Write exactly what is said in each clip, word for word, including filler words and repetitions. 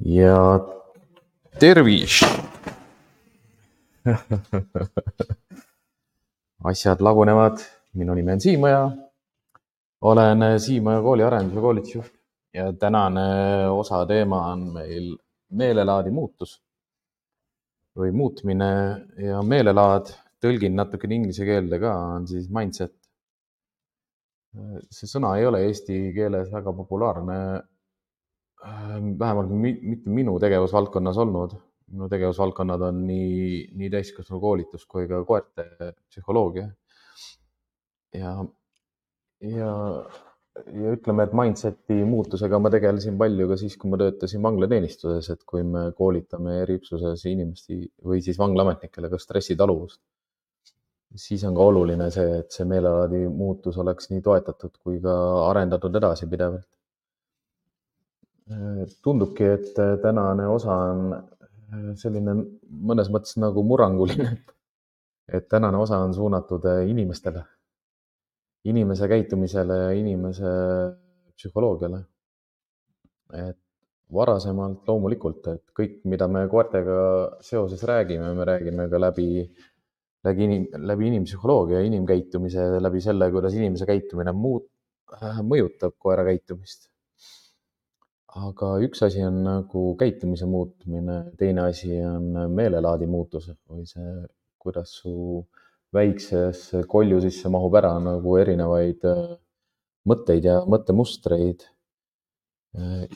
ja tervis. Asjad lagunevad. Minu nimi on Siimaja. Olen Siimaja kooli arenduse koolitusjuht ja tänane osa teema on meil meelelaadi muutus või muutmine ja meelelaad. Tõlgin natukene inglise keelde ka, on siis mindset. See sõna ei ole eesti keeles väga populaarne, vähemalt mitte minu tegevusvaldkonnas olnud. Minu tegevusvaldkonnad on nii, nii täiskasvanu koolitus kui ka koerte psühholoogia. Ja, ja, ja ütleme, et mindseti muutusega ma tegelesin palju ka siis, kui ma töötasin vanglateenistuses, et kui me koolitame eriüksuses inimesti või siis vanglaametnikele ka stressitaluvust, siis on ka oluline see, et see meelelaadi muutus oleks nii toetatud kui ka arendatud edasi pidevalt. Tundubki, et tänane osa on selline mõnes mõttes nagu murranguline, et tänane osa on suunatud inimestele, inimese käitumisele ja inimese psühholoogiale. Et varasemalt loomulikult, et kõik, mida me koertega seoses räägime, me räägime ka läbi, läbi, inim, läbi inimpsühholoogia ja inimkäitumise, läbi selle, kuidas inimese käitumine muut, mõjutab koera käitumist. Aga üks asi on nagu käitumise muutmine, teine asi on meelelaadi muutus või see, kuidas su väiksesse kolju sisse mahub ära nagu erinevaid mõtteid ja mõttemustreid.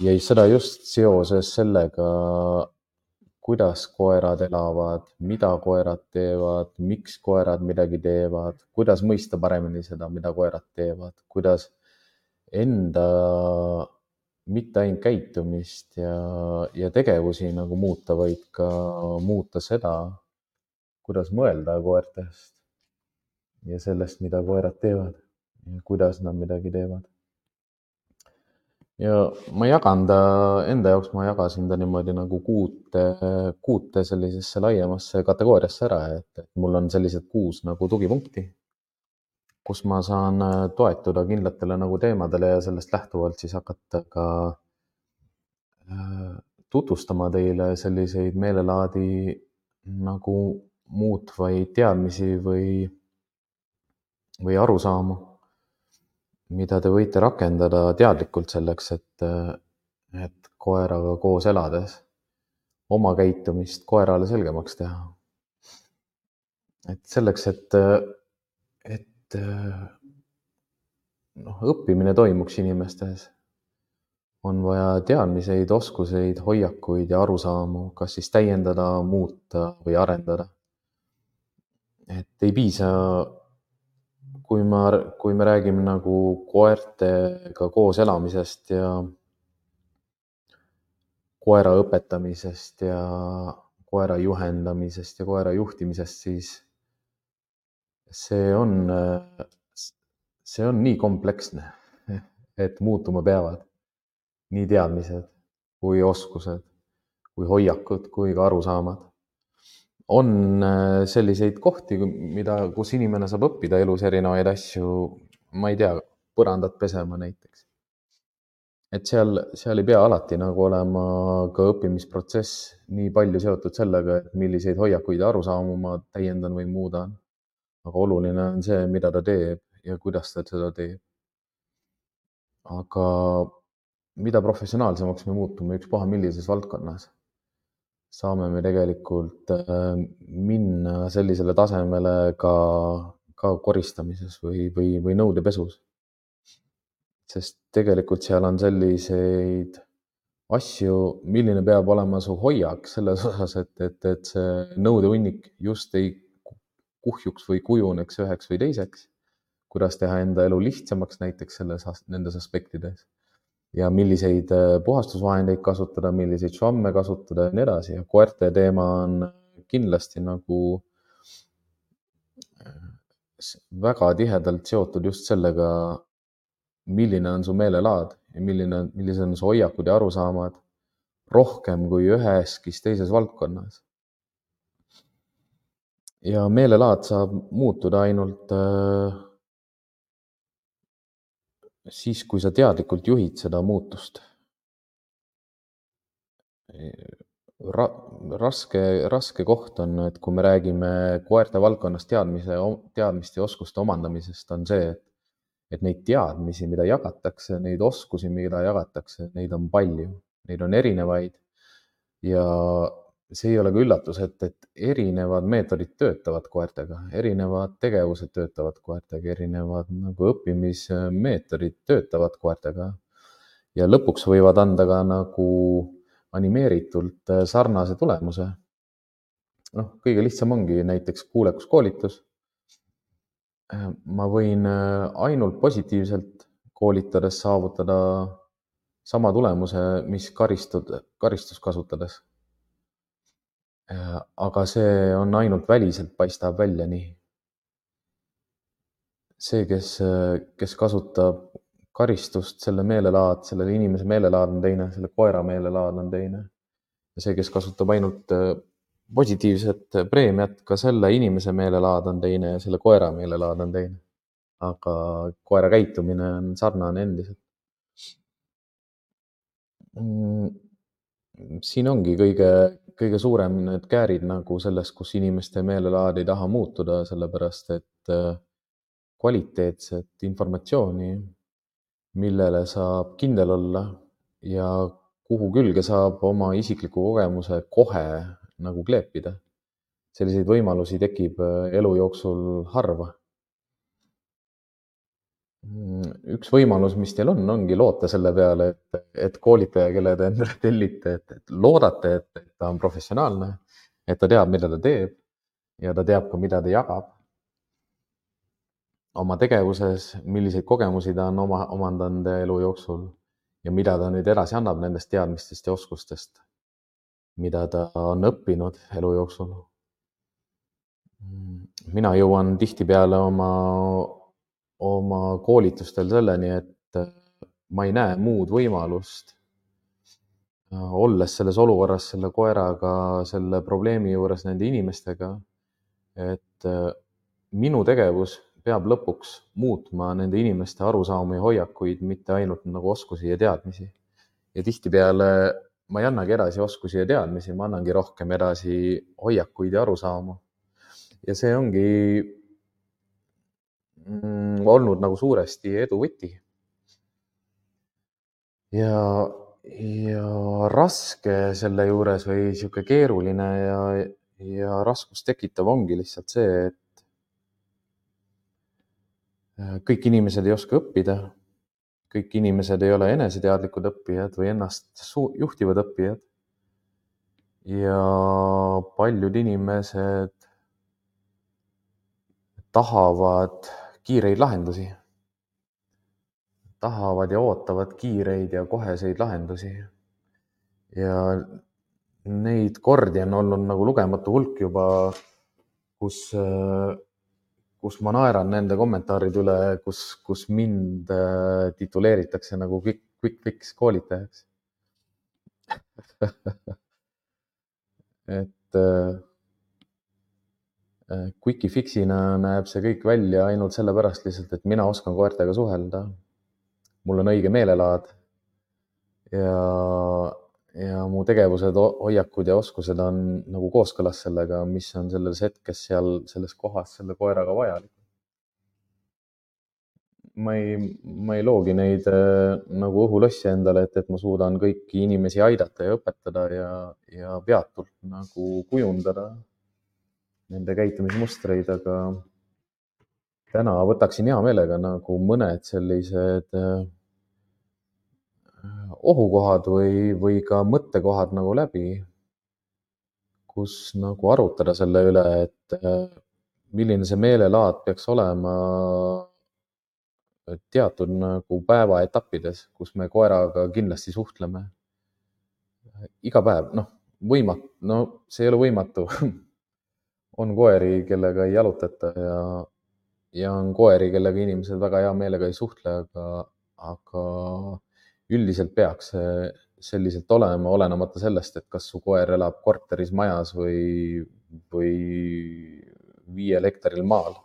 Ja seda just seoses sellega, kuidas koerad elavad, mida koerad teevad, miks koerad midagi teevad, kuidas mõista paremini seda, mida koerad teevad, kuidas enda mitte ainult käitumist ja, ja tegevusi nagu muuta, vaid ka muuta seda, kuidas mõelda koertest ja sellest, mida koerad teevad ja kuidas nad midagi teevad. Ja ma jagan ta, enda jaoks ma jagasin ta niimoodi nagu kuute, kuute sellisesse laiemasse kategooriasse ära, et, et mul on sellised kuus nagu tugipunkti, kus ma saan toetuda kindlatele nagu teemadele ja sellest lähtuvalt siis hakata ka tutvustama teile selliseid meelelaadi nagu muutvaid teadmisi või, või arusaamu, mida te võite rakendada teadlikult selleks, et, et koeraga koos elades oma käitumist koerale selgemaks teha. Et selleks, et, et noh, õppimine toimuks inimestes, on vaja teadmiseid, oskuseid, hoiakuid ja arusaamu, kas siis täiendada, muuta või arendada. Et ei piisa, kui, ma, kui me räägime nagu koertega koos elamisest ja koera õpetamisest ja koera juhendamisest ja koera juhtimisest, siis see on, see on nii kompleksne, et muutuma peavad nii teadmised kui oskused, kui hoiakud, kui ka arusaamad. On selliseid kohti, mida, kus inimene saab õppida elus erinevaid asju, ma ei tea, põrandat pesema näiteks. Et seal, seal ei pea alati nagu olema ka õppimisprotsess nii palju seotud sellega, et milliseid hoiakuid ja arusaamu ma täiendan või muudan. Aga oluline on see, mida ta teeb ja kuidas ta seda teeb. Aga mida professionaalsemaks me muutume ükspuha millises valdkonnas, saame me tegelikult minna sellisele tasemele ka, ka koristamises või, või, või nõudepesus. Sest tegelikult seal on selliseid asju, milline peab olema su hoiak selles osas, et, et, et see nõudehunnik just ei kuhjuks või kujuneks üheks või teiseks, kuidas teha enda elu lihtsamaks näiteks selles, nendes aspektides. Ja milliseid puhastusvahendeid kasutada, milliseid švamme kasutada ja nii edasi. Ja koerte teema on kindlasti nagu väga tihedalt seotud just sellega, milline on su meelelaad ja milline, millised on su hoiakud ja arusaamad rohkem kui üheski teises valdkonnas. Ja meelelaad saab muutuda ainult siis, kui sa teadlikult juhid seda muutust. Ra raske, raske koht on, et kui me räägime koerte valdkonnas teadmise, teadmiste ja oskuste omandamisest, on see, et, et neid teadmisi, mida jagatakse, neid oskusi, mida jagatakse, neid on palju, neid on erinevaid ja see ei ole ka üllatus, et, et erinevad meetodid töötavad koertega, erinevad tegevused töötavad koertega, erinevad nagu õppimismeetodid töötavad koertega ja lõpuks võivad anda ka nagu animeeritult sarnase tulemuse. noh, kõige lihtsam ongi näiteks kuulekuskoolitus. ma võin ainult positiivselt koolitades saavutada sama tulemuse, mis karistud, karistust kasutades. aga see on ainult väliselt, paistab välja nii. see, kes, kes kasutab karistust, selle meelelaad, sellele inimese meelelaad on teine, selle koera meelelaad on teine. ja see, kes kasutab ainult positiivset preemiat, ka selle inimese meelelaad on teine ja selle koera meelelaad on teine. aga koera käitumine on sarnane endiselt. siin ongi kõige, kõige suurem need käärid nagu selles, kus inimeste meelelaad ei taha muutuda, sellepärast et kvaliteetset informatsiooni, millele saab kindel olla ja kuhu külge saab oma isikliku kogemuse kohe nagu kleepida. selliseid võimalusi tekib elu jooksul harva. üks võimalus, mis teil on, ongi loota selle peale, et, et koolitaja, kelle te endale tellite, et, et loodate, et, et ta on professionaalne, et ta teab, mida ta teeb ja ta teab ka, mida ta jagab oma tegevuses, milliseid kogemusi ta on oma, omandanud elu jooksul ja mida ta nüüd edasi annab nendest teadmistest ja oskustest, mida ta on õppinud elu jooksul. mina jõuan tihtipeale oma, oma koolitustel selleni, et ma ei näe muud võimalust, olles selles olukorras selle koeraga, selle probleemi juures nende inimestega, et minu tegevus peab lõpuks muutma nende inimeste arusaamu ja hoiakuid, mitte ainult nagu oskusi ja teadmisi. ja tihtipeale ma ei annagi edasi oskusi ja teadmisi, ma annangi rohkem edasi hoiakuid ja arusaamu. ja see ongi mm, olnud nagu suuresti edu võti. ja, ja raske selle juures või sihuke keeruline ja, ja raskust tekitav ongi lihtsalt see, et kõik inimesed ei oska õppida, kõik inimesed ei ole eneseteadlikud õppijad või ennast juhtivad õppijad. ja paljud inimesed tahavad kiireid lahendusi, tahavad ja ootavad kiireid ja koheseid lahendusi. ja neid kordi on olnud nagu lugematu hulk juba, kus kus ma naeran nende kommentaaride üle, kus, kus mind tituleeritakse nagu quick, quick fix koolitajaks. et quickie fixina näeb see kõik välja ainult sellepärast lihtsalt, et mina oskan koertega suhelda. mul on õige meelelaad ja, ja mu tegevused, hoiakud ja oskused on nagu kooskõlas sellega, mis on selles hetkes seal selles kohas selle koeraga vajalik. ma ei, ma ei loogi neid äh, nagu õhulossi endale, et, et ma suudan kõiki inimesi aidata ja õpetada ja, ja peatult nagu kujundada nende käitumismustreid, aga täna võtaksin hea meelega nagu mõned sellised äh, ohukohad või, või ka mõttekohad nagu läbi, kus nagu arutada selle üle, et äh, milline see meelelaad peaks olema teatud nagu päevaetappides, kus me koeraga kindlasti suhtleme. iga päev, noh, võimatu, no see ei ole võimatu. on koeri, kellega ei jalutata ja, ja on koeri, kellega inimesed väga hea meelega ei suhtle, aga, aga üldiselt peaks see selliselt olema, olenemata sellest, et kas su koer elab korteris, majas või, või viiel hektaril maal.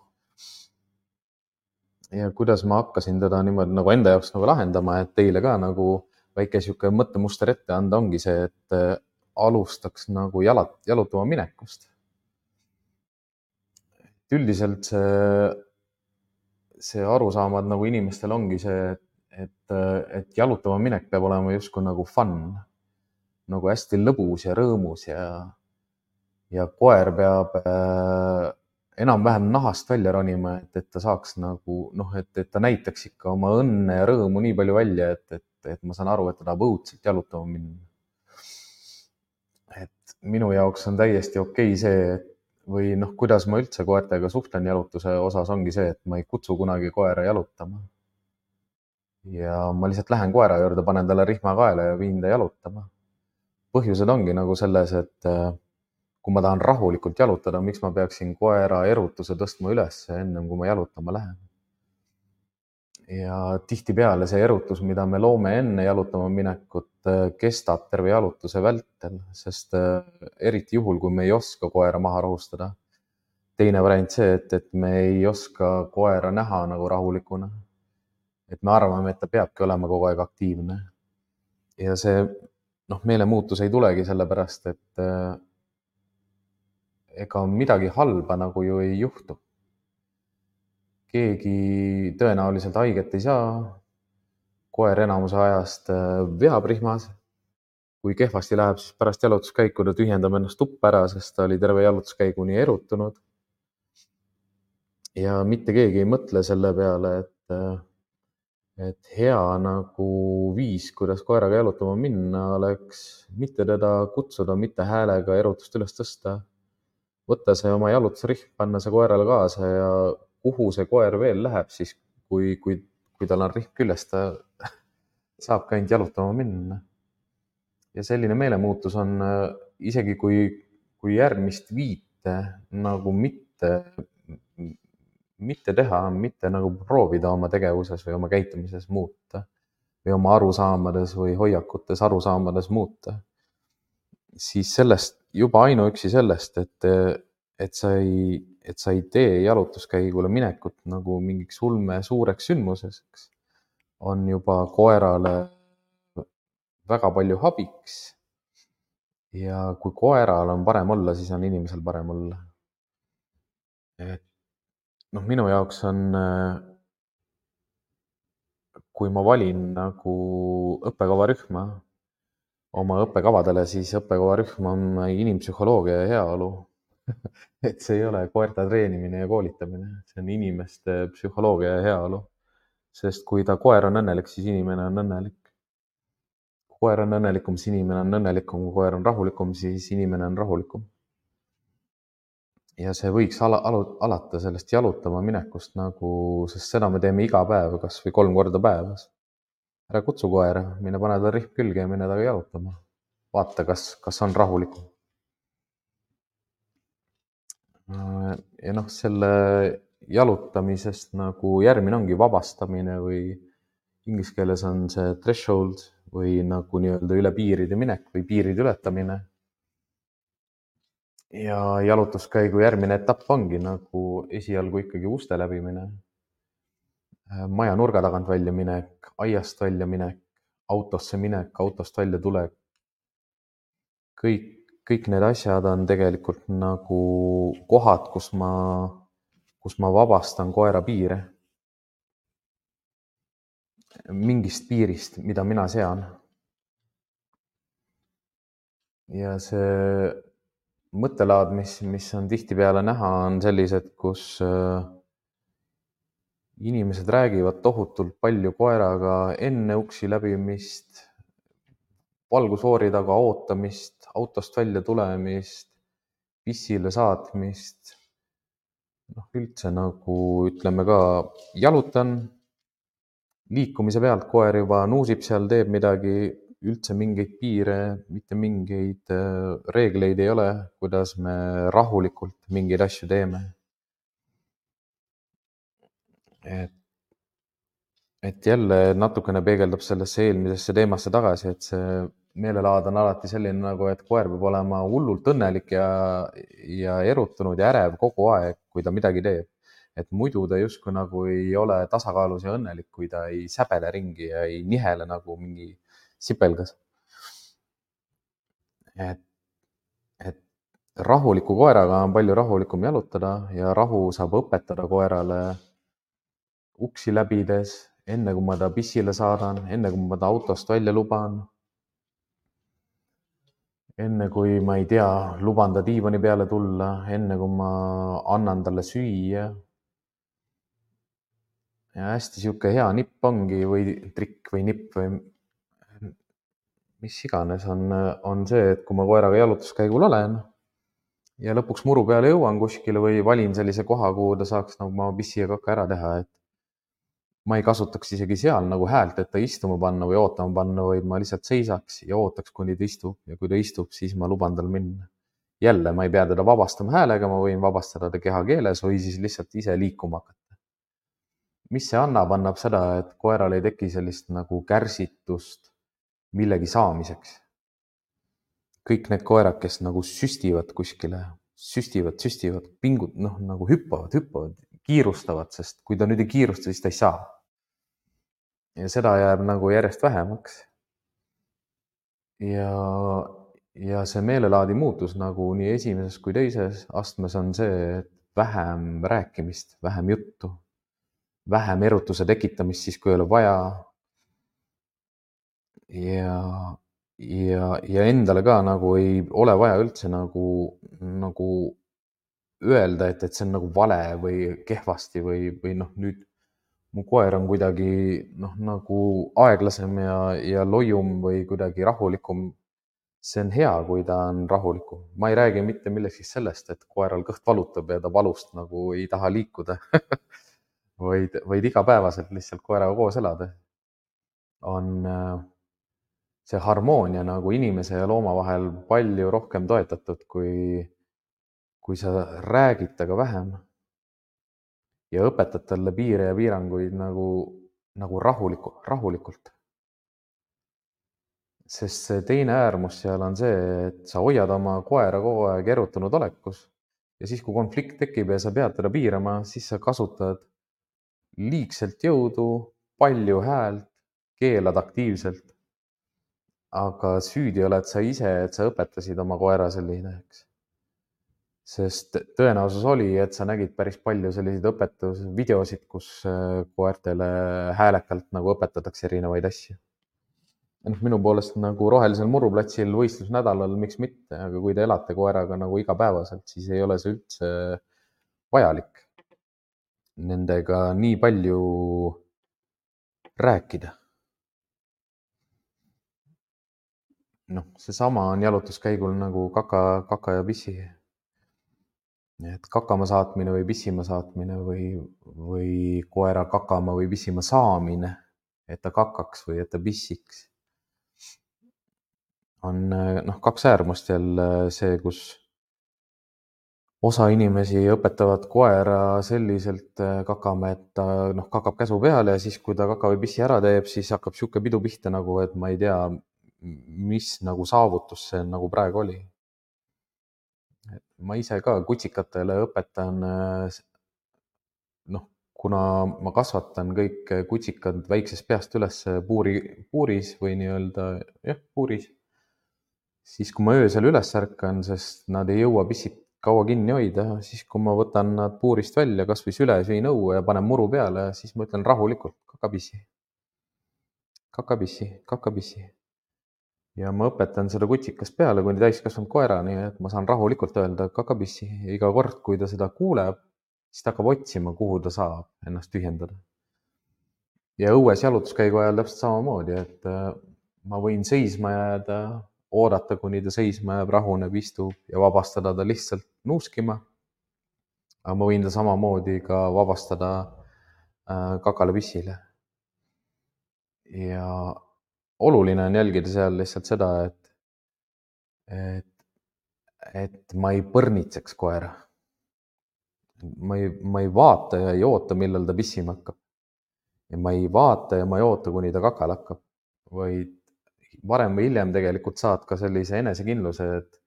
ja kuidas ma hakkasin teda niimoodi nagu enda jaoks nagu lahendama, et teile ka nagu väike sihuke mõttemuster ette anda, ongi see, et alustaks nagu jalat, jalutama minekust. Üldiselt see, see arusaamad nagu inimestel ongi see, et, et jalutama minek peab olema justkui nagu fun, nagu hästi lõbus ja rõõmus ja, ja koer peab äh, enam-vähem nahast välja ronima, et, et ta saaks nagu, noh, et, et ta näitaks ikka oma õnne ja rõõmu nii palju välja, et, et, et ma saan aru, et ta tahab õudselt jalutama minna. Et minu jaoks on täiesti okei see, et või noh, kuidas ma üldse koertega suhtlen jalutuse osas ongi see, et ma ei kutsu kunagi koera jalutama. Ja ma lihtsalt lähen koera juurde, panen talle rihma kaela ja viin ta jalutama. Põhjused ongi nagu selles, et kui ma tahan rahulikult jalutada, miks ma peaksin koera erutuse tõstma üles ennem, kui ma jalutama lähen. Ja tihtipeale see erutus, mida me loome enne jalutama minekut, kestab terve jalutuse vältel, sest eriti juhul, kui me ei oska koera maha rahustada. Teine variant see, et, et me ei oska koera näha nagu rahulikuna. Et me arvame, et ta peabki olema kogu aeg aktiivne. Ja see noh, meelemuutus ei tulegi sellepärast, et ega midagi halba nagu ju ei juhtu. Keegi tõenäoliselt haiget ei saa. Koer enamuse ajast veab rihmas. Kui kehvasti läheb, siis pärast jalutuskäiku ta tühjendab ennast tuppa ära, sest ta oli terve jalutuskäiguni erutunud. Ja mitte keegi ei mõtle selle peale, et, et hea nagu viis, kuidas koeraga jalutama minna, oleks mitte teda kutsuda, mitte häälega erutust üles tõsta. Võtta see oma jalutusrihm, panna see koerale kaasa ja kuhu see koer veel läheb, siis kui, kui, kui tal on rihm küljes, ta saab ka ainult jalutama minna. Ja selline meelemuutus on isegi kui, kui järgmist viite nagu mitte, mitte teha, mitte nagu proovida oma tegevuses või oma käitumises muuta või oma arusaamades või hoiakutes arusaamades muuta. Siis sellest, juba ainuüksi sellest, et, et sa ei, et sa ei tee jalutuskäigule minekut nagu mingiks ulme suureks sündmuseks, on juba koerale väga palju abiks. Ja kui koeral on parem olla, siis on inimesel parem olla. Et noh, minu jaoks on, kui ma valin nagu õppekavarühma oma õppekavadele, siis õppekavarühm on inimpsühholoogia ja heaolu. Et see ei ole koerte treenimine ja koolitamine, see on inimeste psühholoogia ja heaolu. Sest kui ta koer on õnnelik, siis inimene on õnnelik. Kui koer on õnnelikum, siis inimene on õnnelikum. Kui koer on rahulikum, siis inimene on rahulikum. Ja see võiks ala, ala, alata sellest jalutama minekust, nagu, sest seda me teeme iga päev, kas või kolm korda päevas. Ära kutsu koera, mine pane ta rihm külge ja mine taga jalutama. Vaata, kas, kas on rahulikum. Ja noh, selle jalutamisest nagu järgmine ongi vabastamine või inglise keeles on see threshold või nagu nii-öelda üle piiride minek või piiride ületamine. Ja jalutuskäigu järgmine etapp ongi nagu esialgu ikkagi uste läbimine, maja nurga tagant välja minek, aiast välja minek, autosse minek, autost välja tulek. Kõik, kõik need asjad on tegelikult nagu kohad, kus ma, kus ma vabastan koera piire. Mingist piirist, mida mina sean. Ja see mõttelaad, mis, mis on tihtipeale näha, on sellised, kus inimesed räägivad tohutult palju koeraga enne uksi läbimist, valgusfoori taga ootamist, autost välja tulemist, pissile saatmist. Noh, üldse nagu ütleme ka, jalutan, liikumise pealt koer juba nuusib seal, teeb midagi, üldse mingeid piire, mitte mingeid reegleid ei ole, kuidas me rahulikult mingeid asju teeme. Et, et jälle natukene peegeldab sellesse eelmisesse teemasse tagasi, et see meelelaad on alati selline nagu, et koer peab olema hullult õnnelik ja, ja erutunud ja ärev kogu aeg, kui ta midagi teeb. Et muidu ta justkui nagu ei ole tasakaalus ja õnnelik, kui ta ei säbele ringi ja ei nihele nagu mingi sipelgas. et, et rahuliku koeraga on palju rahulikum jalutada ja rahu saab õpetada koerale uksi läbides, enne kui ma ta pissile saadan, enne kui ma ta autost välja luban, enne kui ma ei tea, luban ta diivani peale tulla, enne kui ma annan talle süüa. Ja hästi sihuke hea nipp ongi või trikk või nipp või mis iganes on, on see, et kui ma koeraga jalutuskäigul olen ja lõpuks muru peale jõuan kuskile või valin sellise koha, kuhu ta saaks nagu ma pissi ja kaka ära teha, et ma ei kasutaks isegi seal nagu häält, et ta istuma panna või ootama panna, vaid ma lihtsalt seisaks ja ootaks, kuni ta istub ja kui ta istub, siis ma luban tal minna. Jälle, ma ei pea teda vabastama häälega, ma võin vabastada ta kehakeeles või siis lihtsalt ise liikuma hakata. Mis see annab, annab seda, et koeral ei teki sellist nagu kärsitust millegi saamiseks. Kõik need koerad, kes nagu süstivad kuskile, süstivad, süstivad, pingud, noh, nagu hüppavad, hüppavad, kiirustavad, sest kui ta nüüd ei kiirusta, siis ta ei saa. Ja seda jääb nagu järjest vähemaks. Ja, ja see meelelaadi muutus nagu nii esimeses kui teises astmes on see, et vähem rääkimist, vähem juttu, vähem erutuse tekitamist siis, kui ei ole vaja. Ja, ja, ja endale ka nagu ei ole vaja üldse nagu, nagu öelda, et, et see on nagu vale või kehvasti või, või noh, nüüd mu koer on kuidagi noh, nagu aeglasem ja, ja loium või kuidagi rahulikum. See on hea, kui ta on rahulikum. Ma ei räägi mitte millegi sellest, et koeral kõht valutab ja ta valust nagu ei taha liikuda, vaid, vaid igapäevaselt lihtsalt koeraga koos elada. On see harmoonia nagu inimese ja looma vahel palju rohkem toetatud, kui, kui sa räägid taga vähem ja õpetad talle piire ja piiranguid nagu, nagu rahuliku, rahulikult. Sest see teine äärmus seal on see, et sa hoiad oma koera kogu aeg erutunud olekus ja siis, kui konflikt tekib ja sa pead teda piirama, siis sa kasutad liigselt jõudu, palju häält, keelad aktiivselt. Aga süüdi oled sa ise, et sa õpetasid oma koera selliseks. Sest tõenäosus oli, et sa nägid päris palju selliseid õpetusvideosid, kus koertele häälekalt nagu õpetatakse erinevaid asju. Minu poolest nagu rohelisel muruplatsil võistlusnädalal, miks mitte, aga kui te elate koeraga nagu igapäevaselt, siis ei ole see üldse vajalik nendega nii palju rääkida. Noh, see sama on jalutuskäigul nagu kaka, kaka ja pissi. Et kakama saatmine või pissima saatmine või, või koera kakama või pissima saamine, et ta kakaks või et ta pissiks. On noh, kaks äärmust jälle see, kus osa inimesi õpetavad koera selliselt kakama, et ta noh, kakab käsu peale ja siis, kui ta kaka või pissi ära teeb, siis hakkab sihuke pidu pihta nagu, et ma ei tea, mis nagu saavutus see nagu praegu oli. Et ma ise ka kutsikatele õpetan, noh, kuna ma kasvatan kõik kutsikad väiksest peast üles puuri, puuris või nii-öelda, jah, puuris. Siis, kui ma öösel üles ärkan, sest nad ei jõua pissit kaua kinni hoida, siis kui ma võtan nad puurist välja, kas või süle süin õue ja panen muru peale, siis ma ütlen rahulikult kakapissi, kakapissi, kakapissi. Ja ma õpetan seda kutsikast peale kuni täiskasvanud koerani, et ma saan rahulikult öelda kakapissi ja iga kord, kui ta seda kuuleb, siis ta hakkab otsima, kuhu ta saab ennast tühjendada. Ja õues jalutuskäigu ajal täpselt samamoodi, et ma võin seisma jääda, oodata, kuni ta seisma jääb, rahuneb, istub ja vabastada ta lihtsalt nuuskima. Aga ma võin ta samamoodi ka vabastada kakale pissile. Ja oluline on jälgida seal lihtsalt seda, et, et, et ma ei põrnitseks koera. Ma ei, ma ei vaata ja ei oota, millal ta pissima hakkab. Ja ma ei vaata ja ma ei oota, kuni ta kakal hakkab, vaid varem või hiljem tegelikult saad ka sellise enesekindluse, et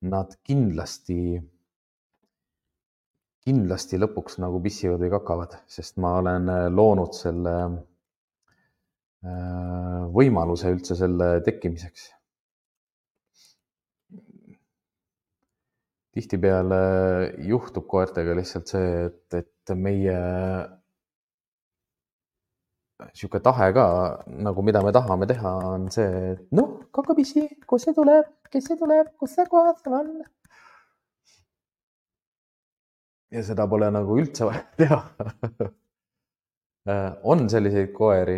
nad kindlasti, kindlasti lõpuks nagu pissivad või kakavad, sest ma olen loonud selle võimaluse üldse selle tekkimiseks. tihtipeale juhtub koertega lihtsalt see, et, et meie sihuke tahe ka, nagu mida me tahame teha, on see, et noh, kakapisi, kus see tuleb, kes see tuleb, kus see kohas seal on. Ja seda pole nagu üldse vaja teha. On selliseid koeri,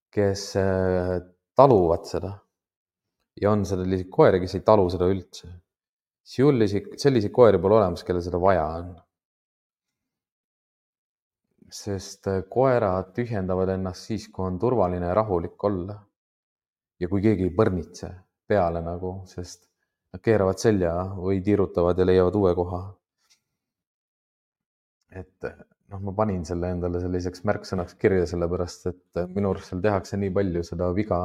kes taluvad seda. Ja on selliseid koeri, kes ei talu seda üldse. Selliseid koeri pole olemas, kelle seda vaja on. Sest koerad tühjendavad ennast siis, kui on turvaline ja rahulik olla. Ja kui keegi ei põrnitse peale nagu, sest nad keeravad selja või tiirutavad ja leiavad uue koha. Et noh, ma panin selle endale selliseks märksõnaks kirja, sellepärast, et minu arust seal tehakse nii palju seda viga,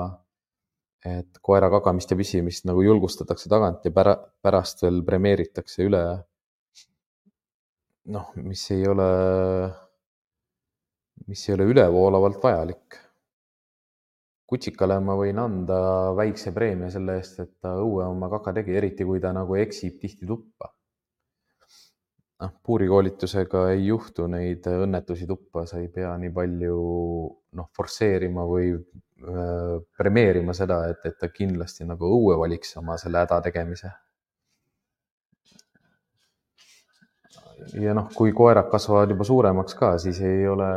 et koera kagamist ja pisimist nagu julgustatakse tagant ja pära, pärast veel premeeritakse üle. Noh, mis ei ole, mis ei ole ülevoolavalt vajalik. Kutsikale ma võin anda väikse preemia selle eest, et ta õue oma kaka tegi, eriti kui ta nagu eksib tihti tuppa. Puurikoolitusega ei juhtu neid õnnetusi tuppa, sa ei pea nii palju noh, forseerima või äh, premeerima seda, et, et ta kindlasti nagu õue valiks oma selle häda tegemise. Ja noh, kui koerad kasvavad juba suuremaks ka, siis ei ole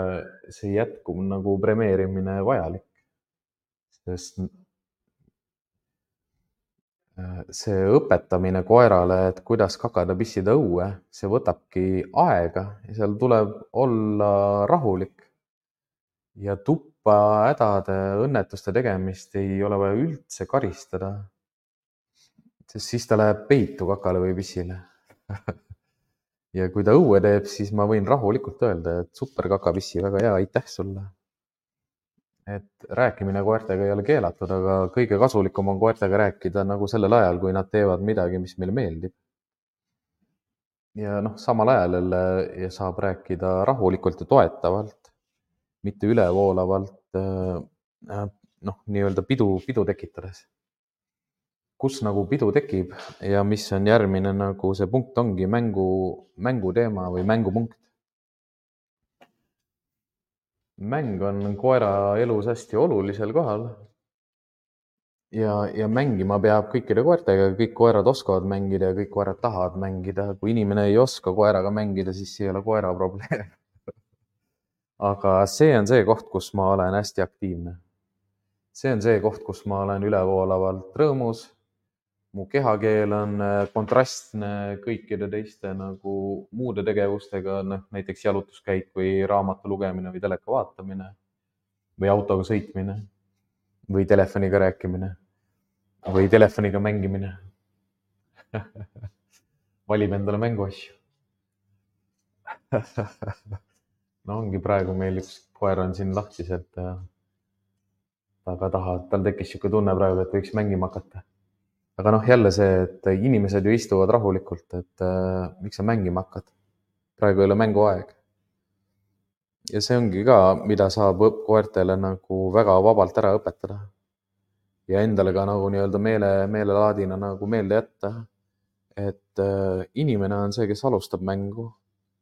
see jätkuv nagu premeerimine vajalik. Sest see õpetamine koerale, et kuidas kakada pissida õue, see võtabki aega ja seal tuleb olla rahulik. Ja tuppa hädade õnnetuste tegemist ei ole vaja üldse karistada, sest siis ta läheb peitu kakale või pissile. Ja kui ta õue teeb, siis ma võin rahulikult öelda, et super kakapissi, väga hea, aitäh sulle. Et rääkimine koertega ei ole keelatud, aga kõige kasulikum on koertega rääkida nagu sellel ajal, kui nad teevad midagi, mis meile meeldib. Ja noh, samal ajal jälle saab rääkida rahulikult ja toetavalt, mitte ülevoolavalt, noh, nii-öelda pidu, pidu tekitades. Kus nagu pidu tekib ja mis on järgmine nagu see punkt ongi mängu, mängu teema või mängupunkt. Mäng on koera elus hästi olulisel kohal ja, ja mängima peab kõikide koertega, kõik koerad oskavad mängida ja kõik koerad tahavad mängida. Kui inimene ei oska koeraga mängida, siis see ei ole koera probleem. Aga see on see koht, kus ma olen hästi aktiivne. See on see koht, kus ma olen ülevoolavalt rõõmus. Mu kehakeel on kontrastne kõikide teiste nagu muude tegevustega, näiteks jalutuskäik või raamatu lugemine või teleka vaatamine või autoga sõitmine või telefoniga rääkimine või telefoniga mängimine. Valib endale mänguasju. No ongi praegu meil üks koer on siin lahtiselt ja taga taha, tal tekkis siuke tunne praegu, et võiks mängima hakata. Aga noh, jälle see, et inimesed ju istuvad rahulikult, et äh, miks sa mängima hakkad? Praegu ei ole mänguaeg. Ja see ongi ka, mida saab koertele nagu väga vabalt ära õpetada. Ja endale ka nagu nii-öelda meele, meelelaadina nagu meelde jätta, et äh, inimene on see, kes alustab mängu.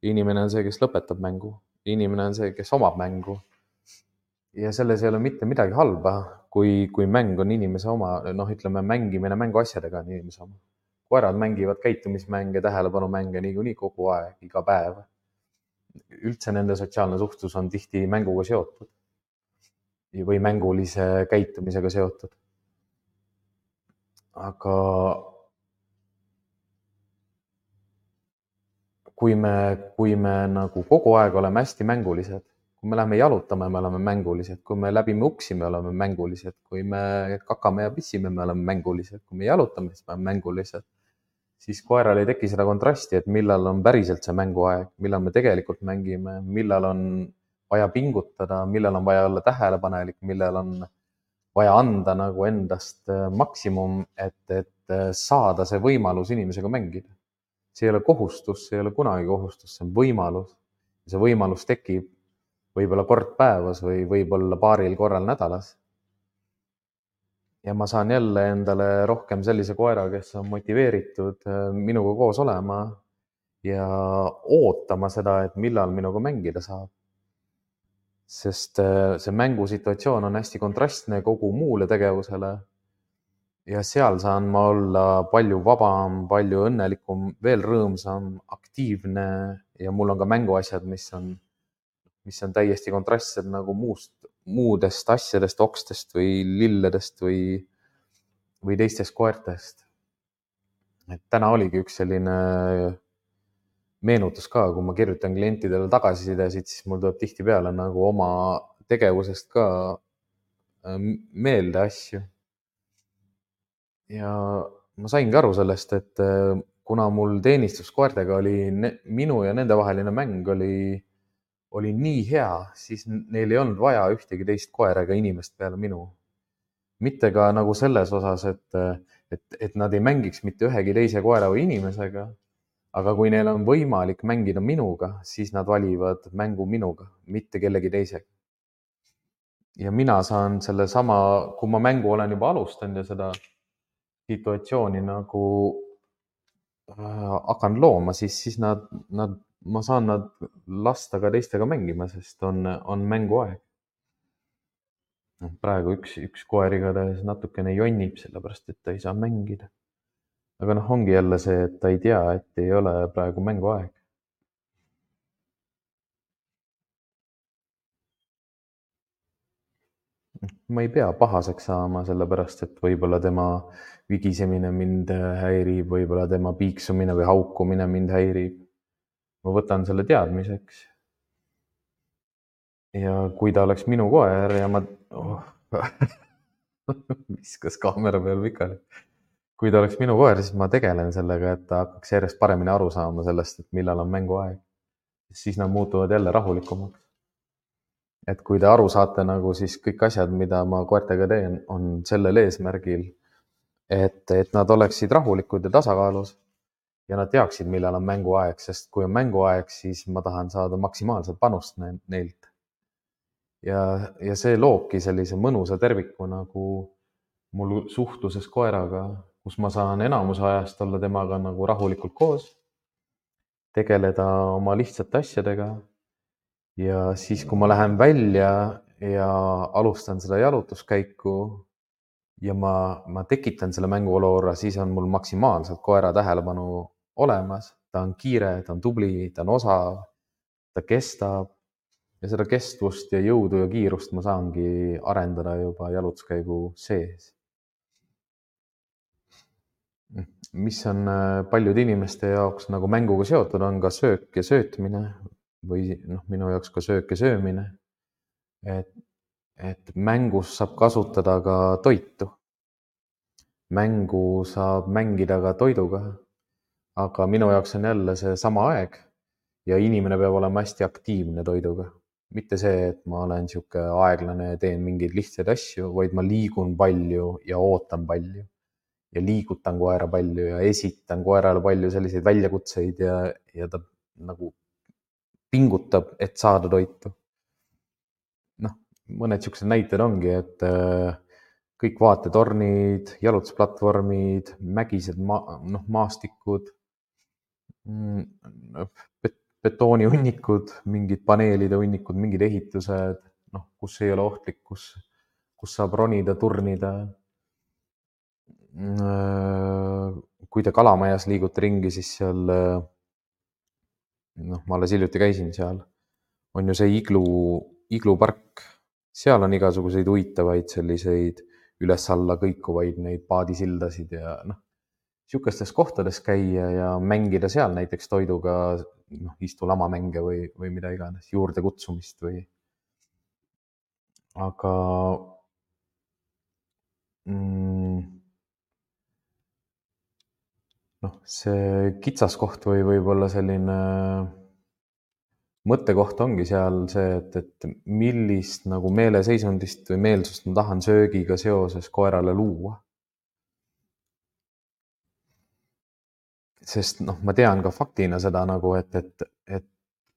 Inimene on see, kes lõpetab mängu. Inimene on see, kes omab mängu. Ja selles ei ole mitte midagi halba, kui, kui mäng on inimese oma, noh, ütleme, mängimine mänguasjadega on inimese oma. Koerad mängivad käitumismänge, tähelepanumänge niikuinii kogu aeg, iga päev. Üldse nende sotsiaalne suhtlus on tihti mänguga seotud või mängulise käitumisega seotud. Aga kui me, kui me nagu kogu aeg oleme hästi mängulised, kui me läheme jalutame, me oleme mängulised, kui me läbime uksi, me oleme mängulised, kui me kakame ja pissime, me oleme mängulised, kui me jalutame, siis me oleme mängulised, siis koeral ei teki seda kontrasti, et millal on päriselt see mänguaeg, millal me tegelikult mängime, millal on vaja pingutada, millal on vaja olla tähelepanelik, millal on vaja anda nagu endast maksimum, et, et saada see võimalus inimesega mängida. See ei ole kohustus, see ei ole kunagi kohustus, see on võimalus. See võimalus tekib võib-olla kord päevas või võib-olla paaril korral nädalas. ja ma saan jälle endale rohkem sellise koera, kes on motiveeritud minuga koos olema ja ootama seda, et millal minuga mängida saab. Sest see mängusituatsioon on hästi kontrastne kogu muule tegevusele ja seal saan ma olla palju vabam, palju õnnelikum, veel rõõmsam, aktiivne ja mul on ka mänguasjad, mis on, mis on täiesti kontrastsed nagu muust, muudest asjadest, okstest või lilledest või, või teistest koertest. Et täna oligi üks selline meenutus ka, kui ma kirjutan klientidele tagasisidesid, siis mul tuleb tihtipeale nagu oma tegevusest ka meelde asju. Ja ma saingi aru sellest, et kuna mul teenistuskoertega oli minu ja nende vaheline mäng oli, oli nii hea, siis neil ei olnud vaja ühtegi teist koera ega inimest peale minu. Mitte ka nagu selles osas, et, et, et nad ei mängiks mitte ühegi teise koera või inimesega, aga kui neil on võimalik mängida minuga, siis nad valivad mängu minuga, mitte kellegi teisega. Ja mina saan selle sama, kui ma mängu olen juba alustanud ja seda situatsiooni nagu äh, hakkan looma, siis, siis nad, nad, ma saan nad lasta ka teistega mängima, sest on, on mänguaeg. Praegu üks, üks koer igatahes natukene jonnib, sellepärast et ta ei saa mängida. Aga noh, ongi jälle see, et ta ei tea, et ei ole praegu mänguaeg. Ma ei pea pahaseks saama, sellepärast et võib-olla tema vigisemine mind häirib, võib-olla tema piiksumine või haukumine mind häirib. Ma võtan selle teadmiseks. Ja kui ta oleks minu koer ja ma... Oh, viskas kaamera peal pikali. Kui ta oleks minu koer, siis ma tegelen sellega, et ta hakkaks järjest paremini aru saama sellest, et millal on mänguaeg. Siis nad muutuvad jälle rahulikumaks. Et kui te aru saate, nagu siis kõik asjad, mida ma koertega teen, on sellel eesmärgil, et, et nad oleksid rahulikud ja tasakaalus ja nad teaksid, millal on mänguaeg, sest kui on mänguaeg, siis ma tahan saada maksimaalset panust neilt. Ja, ja see loobki sellise mõnusa terviku nagu mul suhtluses koeraga, kus ma saan enamuse ajast olla temaga nagu rahulikult koos, tegeleda oma lihtsate asjadega. Ja siis, kui ma lähen välja ja alustan seda jalutuskäiku ja ma, ma tekitan selle mänguolukorra, siis on mul maksimaalselt koera tähelepanu olemas. Ta on kiire, ta on tubli, ta on osav, ta kestab ja seda kestvust ja jõudu ja kiirust ma saangi arendada juba jalutuskäigu sees. Mis on paljude inimeste jaoks nagu mänguga seotud, on ka söök ja söötmine. Või noh, minu jaoks ka söök ja söömine. Et, et mängus saab kasutada ka toitu. Mängu saab mängida ka toiduga. Aga minu jaoks on jälle see sama aeg ja inimene peab olema hästi aktiivne toiduga. Mitte see, et ma olen sihuke aeglane ja teen mingeid lihtsaid asju, vaid ma liigun palju ja ootan palju. Ja liigutan koera palju ja esitan koerale palju selliseid väljakutseid ja, ja ta nagu pingutab, et saada toitu. Noh, mõned siuksed näited ongi, et kõik vaatetornid, jalutusplatvormid, mägised ma, noh, maastikud, betoonihunnikud, mingid paneelide hunnikud, mingid ehitused, noh, kus ei ole ohtlik, kus, kus saab ronida, turnida. Kui te Kalamajas liigute ringi, siis seal noh, ma alles hiljuti käisin seal, on ju see iglu, iglupark, seal on igasuguseid huvitavaid selliseid üles-alla kõikuvaid neid paadisildasid ja noh, siukestes kohtades käia ja mängida seal näiteks toiduga, noh, istulamamänge või, või mida iganes, juurde kutsumist või. Aga mm, noh, see kitsaskoht või võib-olla selline mõttekoht ongi seal see, et, et millist nagu meeleseisundist või meelsust ma tahan söögiga seoses koerale luua. Sest noh, ma tean ka faktina seda nagu, et, et, et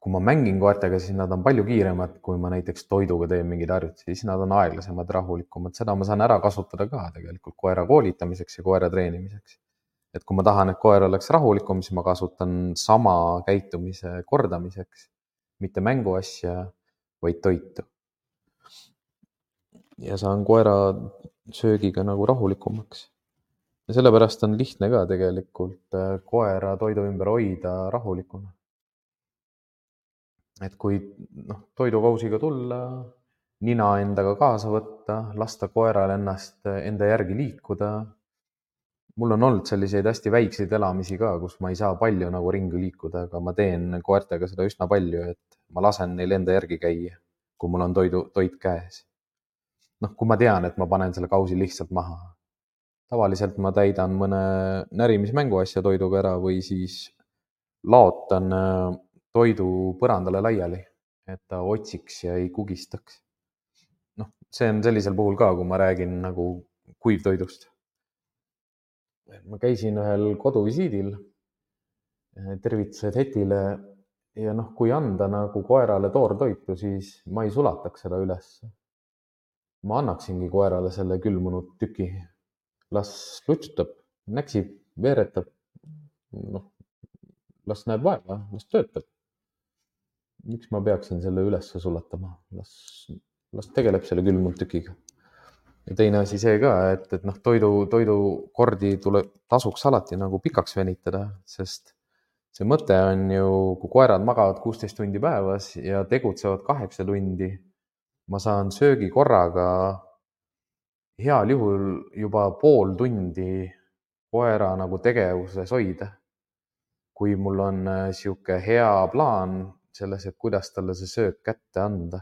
kui ma mängin koertega, siis nad on palju kiiremad, kui ma näiteks toiduga teen mingeid harjutusi, siis nad on aeglasemad, rahulikumad. Seda ma saan ära kasutada ka tegelikult koera koolitamiseks ja koera treenimiseks. Et kui ma tahan, et koer oleks rahulikum, siis ma kasutan sama käitumise kordamiseks, mitte mänguasja, vaid toitu. Ja saan koera söögiga nagu rahulikumaks. Ja sellepärast on lihtne ka tegelikult koera toidu ümber hoida rahulikuna. Et kui noh, toidukausiga tulla, nina endaga kaasa võtta, lasta koeral ennast enda järgi liikuda. Mul on olnud selliseid hästi väikseid elamisi ka, kus ma ei saa palju nagu ringi liikuda, aga ma teen koertega seda üsna palju, et ma lasen neil enda järgi käia, kui mul on toidu, toit käes. Noh, kui ma tean, et ma panen selle kausi lihtsalt maha. Tavaliselt ma täidan mõne närimismänguasja toiduga ära või siis laotan toidu põrandale laiali, et ta otsiks ja ei kugistaks. Noh, see on sellisel puhul ka, kui ma räägin nagu kuivtoidust. Ma käisin ühel koduvisiidil, tervitused Hetile ja noh, kui anda nagu koerale toortoitu, siis ma ei sulataks seda üles. Ma annaksingi koerale selle külmunud tüki. Las lutsutab, näksib, veeretab, noh, las näeb vaeva, las töötab. Miks ma peaksin selle üles sulatama? Las, las tegeleb selle külmunud tükiga. Ja teine asi see ka, et, et noh, toidu, toidukordi tuleb, tasuks alati nagu pikaks venitada, sest see mõte on ju, kui koerad magavad kuusteist tundi päevas ja tegutsevad kaheksa tundi, ma saan söögi korraga heal juhul juba pool tundi koera nagu tegevuses hoida. Kui mul on sihuke hea plaan selles, et kuidas talle see söök kätte anda.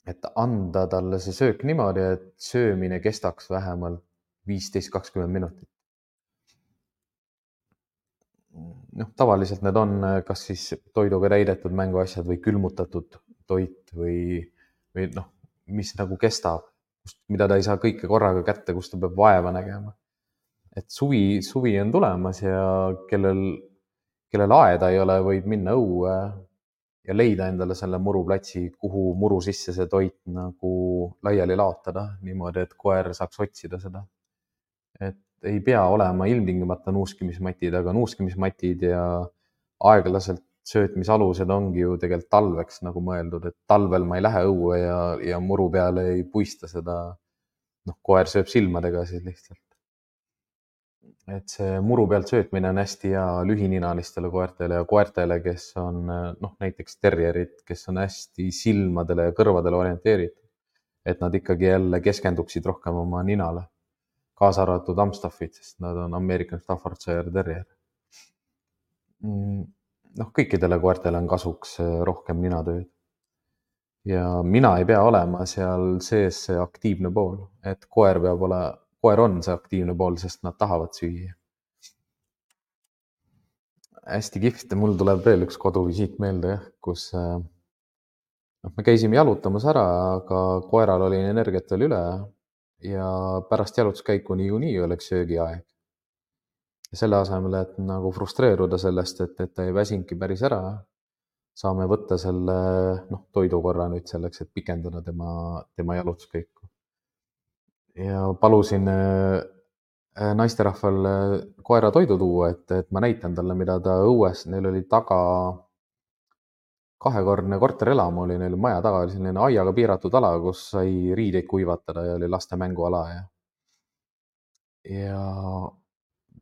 Et anda talle see söök niimoodi, et söömine kestaks vähemalt viisteist kakskümmend minutit. Noh, tavaliselt need on kas siis toiduga täidetud mänguasjad või külmutatud toit või, või noh, mis nagu kestab, mida ta ei saa kõike korraga kätte, kus ta peab vaeva nägema. Et suvi, suvi on tulemas ja kellel, kellel aeda ei ole, võib minna õue ja leida endale selle muruplatsi, kuhu muru sisse see toit nagu laiali laotada, niimoodi, et koer saaks otsida seda. Et ei pea olema ilmtingimata nuuskimismatid, aga nuuskimismatid ja aeglaselt söötmisalused ongi ju tegelikult talveks nagu mõeldud, et talvel ma ei lähe õue ja, ja muru peale ei puista seda. Noh, koer sööb silmadega siis lihtsalt. Et see muru pealt söötmine on hästi hea lühininalistele koertele ja koertele, kes on noh, näiteks terrierid, kes on hästi silmadele ja kõrvadele orienteeritud, et nad ikkagi jälle keskenduksid rohkem oma ninale, kaasa arvatud Amstaffid, sest nad on American Staffordshire Terrier. Noh, kõikidele koertele on kasuks rohkem ninatööd. Ja mina ei pea olema seal sees see aktiivne pool, et koer peab ole Koer on see aktiivne pool, sest nad tahavad süüa. Hästi kihvt, mul tuleb veel üks koduvisiit meelde, kus noh, me käisime jalutamas ära, aga koeral oli energiat veel üle ja pärast jalutuskäiku niikuinii oleks söögiaeg. Ja selle asemel, et nagu frustreeruda sellest, et, et ta ei väsinki päris ära, saame võtta selle noh, toidukorra nüüd selleks, et pikendada tema, tema jalutuskäiku. Ja palusin naisterahval koera toidu tuua, et, et ma näitan talle, mida ta õues, neil oli taga kahekordne korterelamu, oli neil maja taga, oli selline aiaga piiratud ala, kus sai riideid kuivatada ja oli laste mänguala. Ja, ja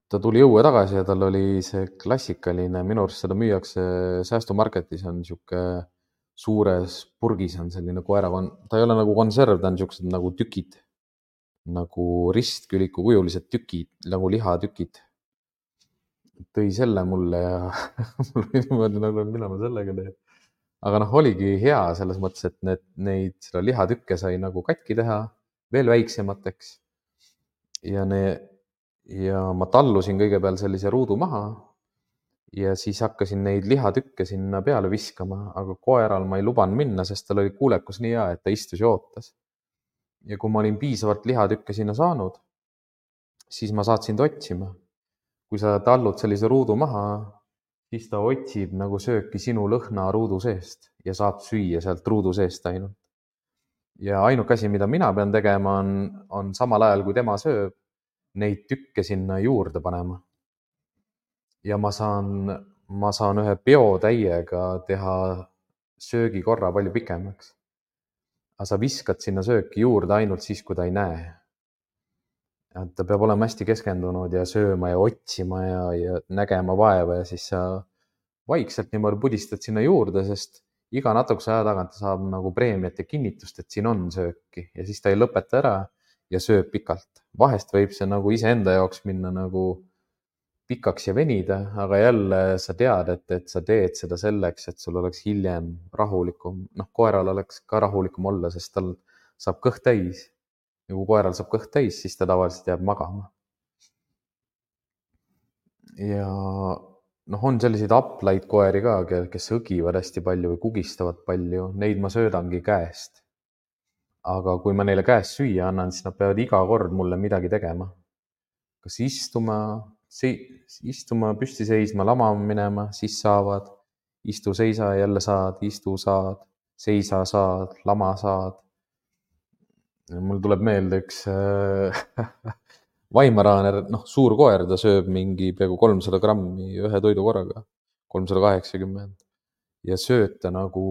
ta tuli õue tagasi ja tal oli see klassikaline, minu arust seda müüakse säästumarketis, on sihuke suures purgis on selline koera, ta ei ole nagu konserv, ta on siuksed nagu tükid, nagu ristküliku kujulised tükid, nagu lihatükid. Tõi selle mulle ja mul oli niimoodi nagu, mida ma sellega teen. Aga noh, oligi hea selles mõttes, et need, neid seda lihatükke sai nagu katki teha veel väiksemateks. Ja, ne, ja ma tallusin kõigepealt sellise ruudu maha ja siis hakkasin neid lihatükke sinna peale viskama, aga koeral ma ei lubanud minna, sest tal oli kuulekus nii hea, et ta istus ja ootas. Ja kui ma olin piisavalt lihatükke sinna saanud, siis ma saatsin ta otsima. Kui sa tallud sellise ruudu maha, siis ta otsib nagu sööki sinu lõhna ruudu seest ja saab süüa sealt ruudu seest ainult. Ja ainuke asi, mida mina pean tegema, on, on samal ajal, kui tema sööb, neid tükke sinna juurde panema. Ja ma saan, ma saan ühe peotäiega teha söögikorra palju pikemaks. Aga sa viskad sinna sööki juurde ainult siis, kui ta ei näe. Et ta peab olema hästi keskendunud ja sööma ja otsima ja, ja nägema vaeva ja siis sa vaikselt niimoodi pudistad sinna juurde, sest iga natukese aja tagant ta saab nagu preemiat ja kinnitust, et siin on sööki ja siis ta ei lõpeta ära ja sööb pikalt. Vahest võib see nagu iseenda jaoks minna nagu pikaks ja venida, aga jälle sa tead, et, et sa teed seda selleks, et sul oleks hiljem rahulikum. Noh, koeral oleks ka rahulikum olla, sest tal saab kõht täis. Ja kui koeral saab kõht täis, siis ta tavaliselt jääb magama. Ja noh, on selliseid aplaid koeri ka, kes õgivad hästi palju või kugistavad palju. Neid ma söödangi käest. Aga kui ma neile käest süüa annan, siis nad peavad iga kord mulle midagi tegema. Kas istuma, istuma, püsti seisma, lamama minema, siis saavad. Istu, seisa, jälle saad, istu, saad, seisa, saad, lama, saad. Mul tuleb meelde üks Weimaraaner, noh, suur koer, ta sööb mingi peaaegu kolmsada grammi ühe toidukorraga, kolmsada kaheksakümmend. Ja sööta nagu